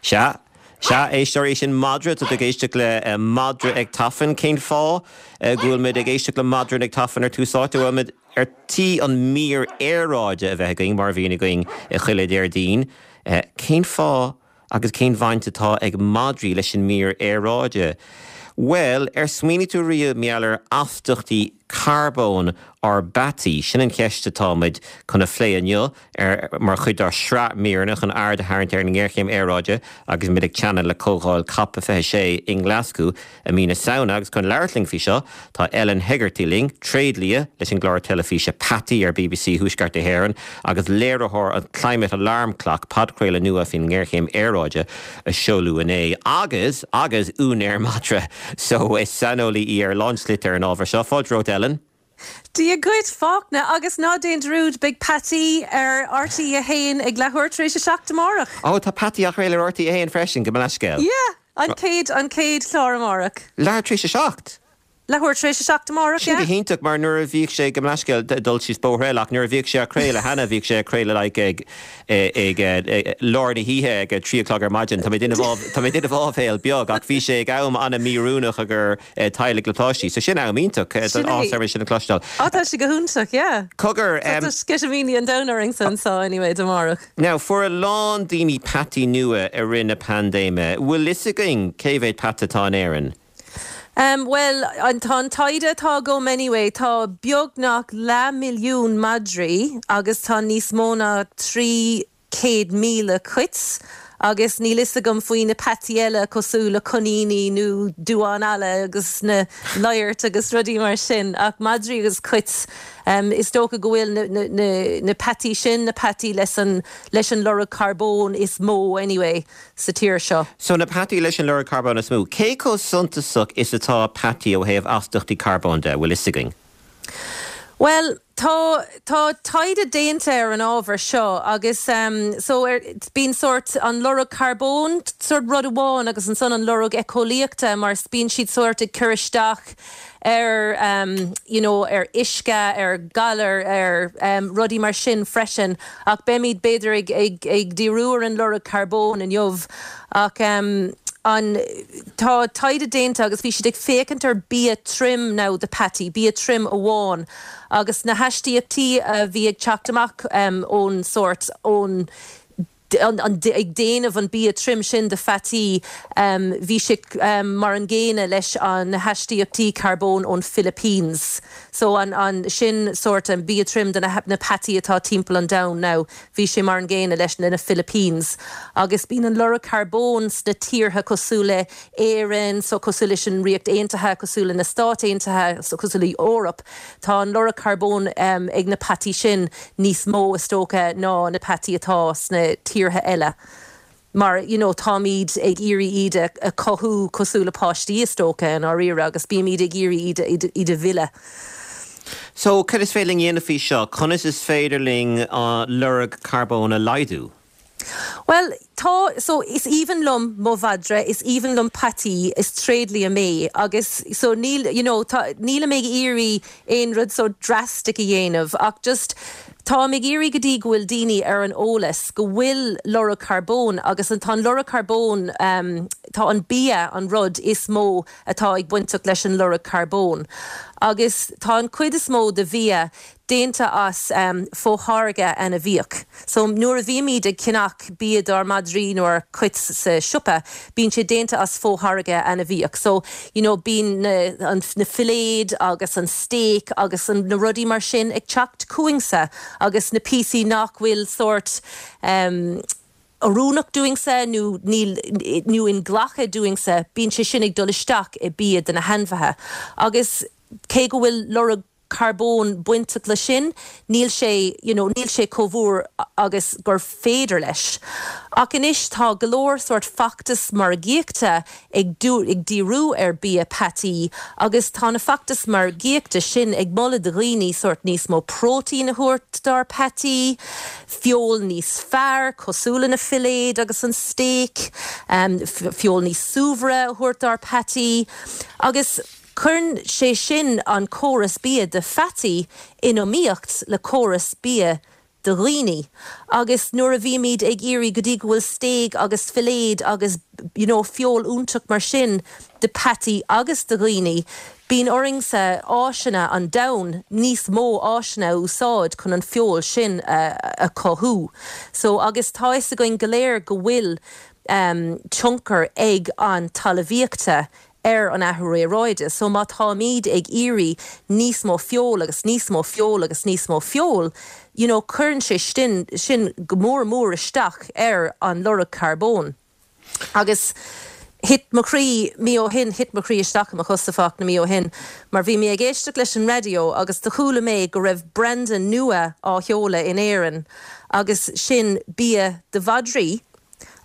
Sea, sea, éisteoirí, sin madra, tá tú ag éisteacht le madra ag tafann. Cén fáth go bhfuil muid ag éisteacht le madra ag tafann ar Tús Áite? Bhuel, muid ar tí an mír aeráide a bheith againn, mar a bhíonn againn chuile Déardaoin. Cén fáth Agus cén bhaint atá ag madraí leis an mír aeráide? Bhuel, ar smaoinigh tú riamh mar gheall ar astaíochtaí carbóin ár bpeataí? Sin an cheist atá muid chun a phlé inniu ar mar chuid dár sraith míreanna chun aird a tharraingt ar an ngéarchéim aeráide agus muid ag teannadh le Comhdháil Cop 26 i nGlaschú i mí na Samhna agus chun labhairt linn faoi seo tá Ellen Hegarty linn, tréidlia leis an gclár teilifíse Peataí ar bbc Thuaisceart na hÉireann agus léiritheoir an Climate Alarm Clock, podchraoladh nua faoin ngéarchéim aeráide a seoladh inné, agus agus úinéir madra so is saineolaí í ar a lán slite ar an ábhar seo. Fáilte romhat Ellen. Dia dhuit, Fachtna, agus ná déan dearúd, beidh Peataí ar RTÉ 1 ag leathuair tar éis a 7 amárach. Ó, tá Peataí á chraoladh ar RTÉ 1 freisin, gabh mo leithscéal. Yeah, an chéad, an chéad chlár amárach. Leathuair tar éis a 7? Leathuair tar éis a 7 amárach, yeah. Sin go hiontach, mar nuair a bhíodh sé, gabh mo leithscéal, dul síos bóthar eile, ach nuair a bhíodh sé á chraoladh cheana, bhíodh sé á chraoladh like ag, ag lár na hoíche, ag a 3 o'clock ar maidin. Tá mé ag déanamh, tá mé ag déanamh áibhéil beag, ach bhí sé ag am an-mhíoiriúnach i gcomhair teaghlaigh le páistí. So sin am iontach. Sin é. Áthas orm sin a chloisteáil. Á tá sé go hiontach, yeah. Cogar. Tá sceitimíní an domhain orainn-sa anseo anyway amárach. Now, fuair a lán daoine peataí nua i rith na paindéime. Bhfuil fhios againn cé mhéad peata atá in Éirinn? Em, bhuel, tá an taighde atá agam anyway, tá beagnach leathmhilliún madraí agus tá níos mó ná 300,000 cait agus níl fhios agam faoi na peataí eile cosúil le coiníní nó duáin alla agus na laghairт agus rudaí mar sin ach madraí agus cait is dócha go bhfuil na peataí sin na peataí leis an leis an lorg carbóin is mó anyway sa tír seo. So na peataí leis an lorg carbóin is mó. Cé chomh suntasach is atá peataí ó thaobh astaíochtaí carbóin de, bhfuil fhios againn? Bhuel, tá, tá taighde déanta ar an ábhar seo agus so ar, bíonn sórt an lorg carbóin sórt rud amháin agus ansan an lorg éiceolaíochta mar bíonn siad sórt ag cur isteach ar you know ar uisce, ar ghalair, ar rudaí mar sin freisin ach beimid b'fhéidir ag, ag, ag díriú ar an lorg carbóin inniu ach an, tá taighde déanta agus bhí siad ag féachaint ar bia trim now do peataí, bia trim amháin agus na hastaíochtaí a bhí ag teacht amach ón sórt, ón, an, an, ag déanamh an bia trim sin do pheataí, bhí sé mar an gcéanna leis an na hastaíochtaí carbóin ón Philippines. So an, an, sin sórt an bia trim do na, na peataí atá timpeall an domhain now. Bhí sé mar an gcéanna leis na Philippines. Agus bíonn an lorg carbóin sna tíortha cosúil le Éirinn, so cosúil leis an Ríocht Aontaithe, cosúil le na Stáit Aontaithe, so cosúil le Eoraip, tá an lorg carbóin ag na peataí sin níos mó is dócha ná na peataí atá sna tíortha eile. Mar you know táimid ag iarraidh iad a chothú cosúil le páistí is dócha i ndáiríre agus bímid ag iarraidh iad iad a mhilleadh. So cad is féidir linn a dhéanamh faoi seo? Conas is féidir linn an lorg carbóin a laghdú? Bhuel tá, so is aoibhinn liom mo mhadra, is aoibhinn liom peataí, is tréidlia mé agus so níl you know tá, nílim ag iarraidh aon rud so drastic a dhéanamh ach just táim ag iarraidh go dtí go bhfuil daoine ar an eolas go bhfuil lorg carbóin agus an tá an lorg carbóin tá an bia an rud is mó atá ag bainteach leis an lorg carbóin agus tá an cuid is mó de bhia déanta as fo-tháirge ainmhíoch. So nuair a bhímid ag ceannach bia dár madraí nó ár cait sa siopa, bíonn sé déanta as fo-tháirge ainmhíoch. So, you know, bíonn na, an, na filléid agus an steak agus an, na rudaí mar sin ag teacht chugainn-sa agus na píosaí nach bhfuil sórt em oiriúnach dúinn-sa nó níl, nó inghlactha dúinn-sa, bíonn sé sin ag dul isteach i bia do na hainmhithe. Agus cé go bhfuil lorg carbóin bainteach leis sin, níl sé, you know, níl sé chomh mhór agus gur féidir leis. Ach anois tá go leor sórt feachtas margaíochta ag ag díriú ar bia peataí agus tá na feachtais margaíochta sin ag moladh do dhaoine sórt níos mó próitéin a thabhairt dár peataí, feoil níos fearr cosúil le na filléid agus an steak, feoil níos saibhre a thabhairt dár peataí agus. Cuireann sé sin an córas bia do pheataí in iomaíocht le córas bia. do dhaoine agus nuair a bhímid ag iarraidh go dtí go bhfuil stéig agus filléad agus you know feoil iontach mar sin do peataí agus do dhaoine, bíonn orainn-sa áiseanna an domhain, níos mó áiseanna a úsáid chun an feoil sin a chothú. So agus tá fhios againn go léir go bhfuil tionchar ag an talmhaíochta ar an athrú aeráide. So má táimíd ag iarraidh níos mó feoil agus níos mó feoil agus níos mó feoil, you know, cuireann sé sin sin go mór mór isteach ar an lorg carbóin. Agus thit mo chroí mí ó shin, thit mo chroí isteach i mo chosa Fachtna mí ó shin, mar bhí mé ag éisteacht leis an raidió agus do chuala mé go raibh branda nua á sheoladh in Éirinn agus sin bia do mhadraí.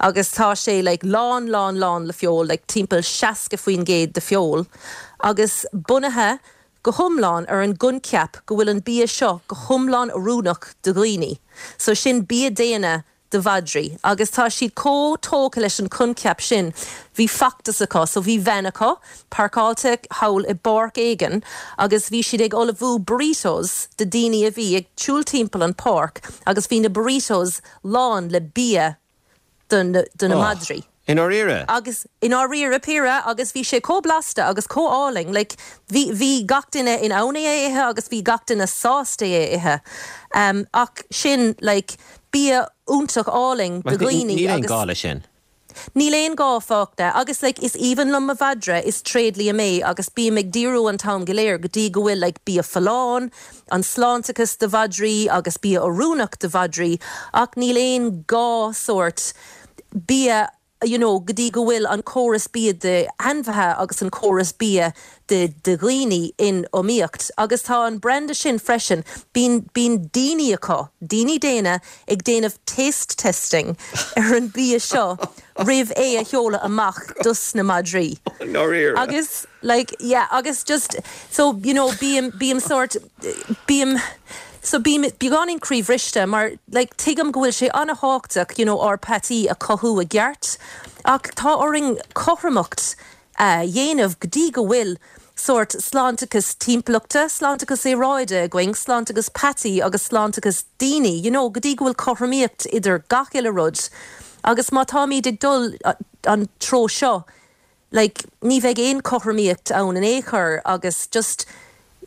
agus tá sé like lán lán lán le feoil, like timpeall 60% de feoil, agus bunaithe go hiomlán ar an gcoincheap go bhfuil an bia seo go hiomlán oiriúnach do dhaoine. So sin bia daonna do mhadraí agus tá siad chomh tógtha leis an choincheap sin, bhí feachtas acu, so bhí veain acu páirceáilte thall i bpáirc éigin agus bhí siad ag ullmhú burritos do daoine a bhí ag siúl timpeall an páirc agus bhí na burritos lán le bia do na madraí. I ndáiríre? Agus, i ndáiríre píre, agus bhí sé chomh blasta agus chomh álainn, like, bhí, bhí gach duine in ann é a ithe agus bhí gach duine sásta é a ithe. Ach sin, like, bia iontach álainn do dhaoine agus. Níl aon gá leis sin. Níl aon gá Fachtna agus like is aoibhinn liom mo mhadra, is tréidlia mé agus bím ag díriú an t-am go léir go dtí go bhfuil like bia folláin, an sláinteachas do mhadraí agus bia oiriúnach do mhadraí ach níl aon gá sórt bia you know go dtí go bhfuil an córas bia d'ainmhithe agus an córas bia do do dhaoine in iomaíocht agus tá an branda sin freisin, bíonn bíonn daoine acu, daoine daonna ag déanamh taste testing ar an bia seo roimh é a sheoladh amach dos na madraí. Ndáiríre? Agus like yeah agus just so you know bím bím sórt bím so bím beagáinín croíbhriste mar like tuigim go bhfuil sé an-thábhachtach you know ár peataí a chothú i gceart ach tá orainn cothromacht a dhéanamh go dtí go bhfuil sórt sláinteachas timpeallachta, sláinteachas aeráide againn, sláinteachas peataí agus sláinteachas daoine, you know, go dtí go bhfuil cothromaíocht idir gach uile rud agus má táimid ag dul an treo seo, like, ní bheidh aon chothromaíocht ann in aon chor agus just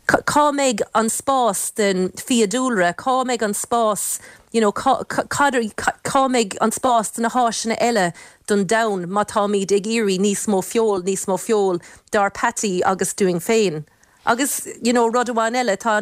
cá mbeidh an spás den fiadhúlra, cá mbeidh an spás, you know, cá, cad, cá mbeidh an spás do na háiseanna eile don domhan má táimid ag iarraidh níos mó feoil, níos mó feoil dár peataí agus dúinn féin. Agus, you know, rud amháin eile, tá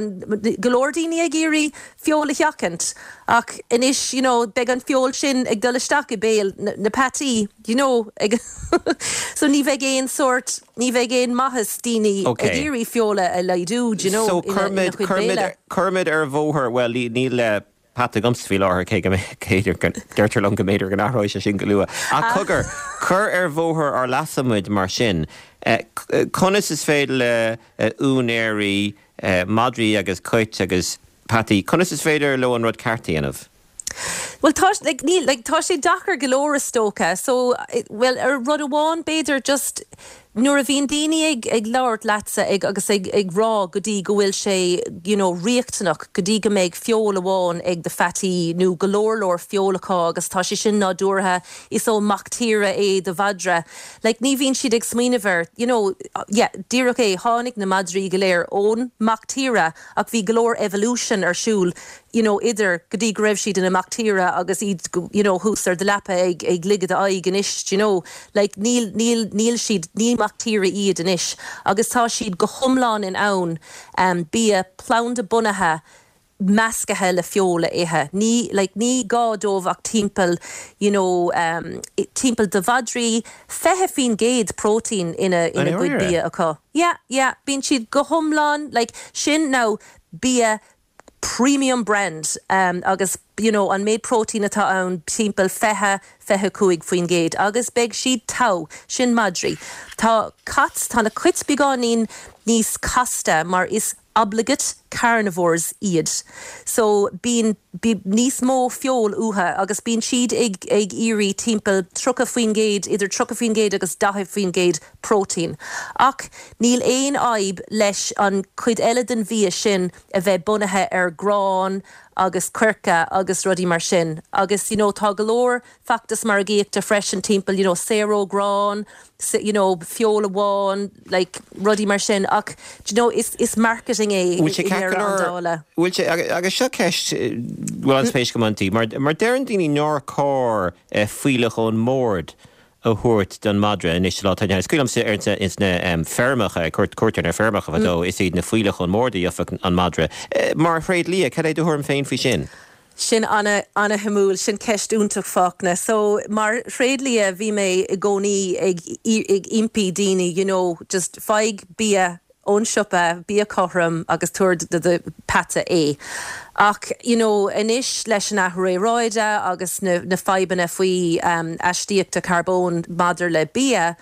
go leor daoine ag iarraidh feoil a sheachaint ach anois, you know, beidh an feoil sin ag dul isteach i béal na peataí, you know, ag so ní bheidh aon sórt, ní bheidh aon maitheas daoine ag iarraidh feoil a laghdú, do you know, So ina cuirfimid, chuid cuirfimid, béile. cuirfimid ar bhóthar, bhuel, níl peata agamsa faoi láthair, cé go mb'fhéidir, deirtear liom go mb'fhéidir go n-athróidh sé sin go luath. Ach cogar, cuir ar bhóthar ár leasa muid mar sin. Conas is féidir le úinéirí madraí agus cait agus peataí, conas is féidir leo an rud ceart a dhéanamh? Bhuel tá, like, níl, like, tá sé deacair go leor is dócha. So, bhuel, ar rud amháin b'fhéidir just nuair a bhíonn daoine ag, ag labhairt leatsa ag, agus ag, ag rá go dtí go bhfuil sé, you know, riachtanach go dtí go mbeidh feoil amháin ag do pheataí nó go leor leor feoil acu agus tá sé sin nádúrtha, is ó mac tíre é do mhadra. Like, ní bhíonn siad ag smaoineamh ar, you know, yeah, díreach é, tháinig na madraí go léir ón mac tíre ach bhí go leor evolution ar siúl you know idir go dtí go raibh siad ina mac tíre agus iad you know thuas ar do leapa ag ag ligeadh d'aghaidh anois do you know like níl níl níl siad ní mac tíre iad anois agus tá siad go hiomlán in ann um bia planda bunaithe meascaithe le feoil a ithe ní like ní gá dóibh ach timpeall you know um timpeall do mhadraí 20% próitéin ina ina gcuid bia acu yeah yeah bíonn siad go hiomlán like sin now bia premium brand agus you know an méid próitéin atá ann timpeall 20, 25% agus beidh siad togha, sin madraí. Tá cait, tá na cait beagáinín níos casta mar is obligate. carnivores iad. So bíonn níos mó feoil uathu agus bíonn siad ag ag iarraidh timpeall 30%, idir 30% agus 40% próitéin. Ach níl aon fhadhb leis an chuid eile den bhia sin a bheith bunaithe ar grán agus coirce agus rudaí mar sin. Agus you know tá go leor feachtas margaíochta freisin timpeall you know saor ó ghrán, you know feoil amháin, like rudaí mar sin ach do you know is is marketing é i Bhfuil sé ceart go ndeireadh an leor, dála. bhfuil sé, agus seo ceist a bhfuil an-spéis agam inti, mar mar deireann daoine nár chóir fuílleach ón mbord a thabhairt don mhadra anois sa lá atá inniu ann. Is cuimhin liomsa ar ins na feirmeacha, cuairteoir ar feirmeacha fadó, is iad na fuílleach ón mbord a gheobhadh an madra. Mar thréadlia, cad é do thuairim féin faoi sin? Sin ana-shuimiúil, sin ceist iontach Fachtna. So mar thréadlia bhí mé i gcónaí ag ag impí daoine you know just faigh bia ón siopa, bia cothrom agus tabhair do do peata é. Ach you know anois leis an athrú aeráide agus na na fadhbanna faoi astaíochta carbóin maidir le bia,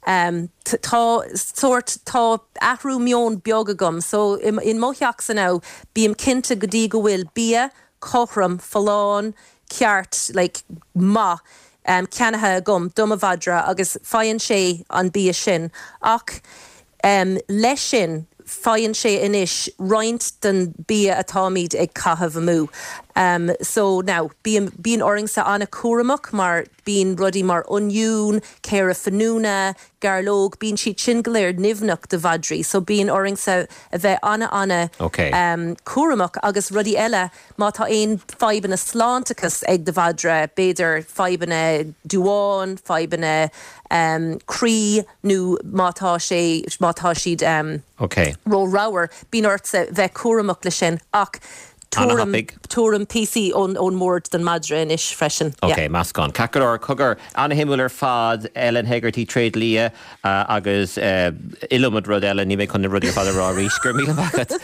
tá sórt, tá athrú meoin beag agam. So in mo theachsa now bím cinnte go dtí go bhfuil bia cothrom, folláin, ceart, like maith ceannaithe agam do mo mhadra agus faigheann sé an bia sin. Ach leis sin faigheann sé anois roinnt den bia atáimid ag caitheamh amú. So now bím, bíonn ormsa an-chúramach mar Bíonn rudaí mar oinniún, caora finiúna, gairleog, bíonn siad sin go léir nimhneach do mhadraí so bíonn ormsa a bheith ana-ana cúramach agus rudaí eile má tá aon fadhbanna sláinteachais ag do mhadra, b'fhéidir fadhbanna duáin, fadhbanna croí nó má tá sé, má tá siad ró-ramhar, bíonn ortsa bheith cúramach le sin ach Tabhraim, tabhraim píosaí ón mbord don madra anois freisin. Yeah. Ok, meascán. Ceart go leor, cogar, ana-shuimiúil ar fad, Ellen Hegarty, tréadlia agus iliomad rud eile, níl mé chun na rudaí ar fad a rá arís. Go raibh míle maith agat.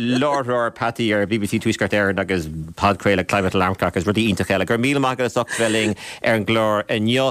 Láithreoir peataí ar BBC Tuaisceart Éireann agus podchraoladh Climate Alarm Clock agus rudaí iontacha eile. Go raibh míle maith agat as ucht bheith linn ar an gclár inniu.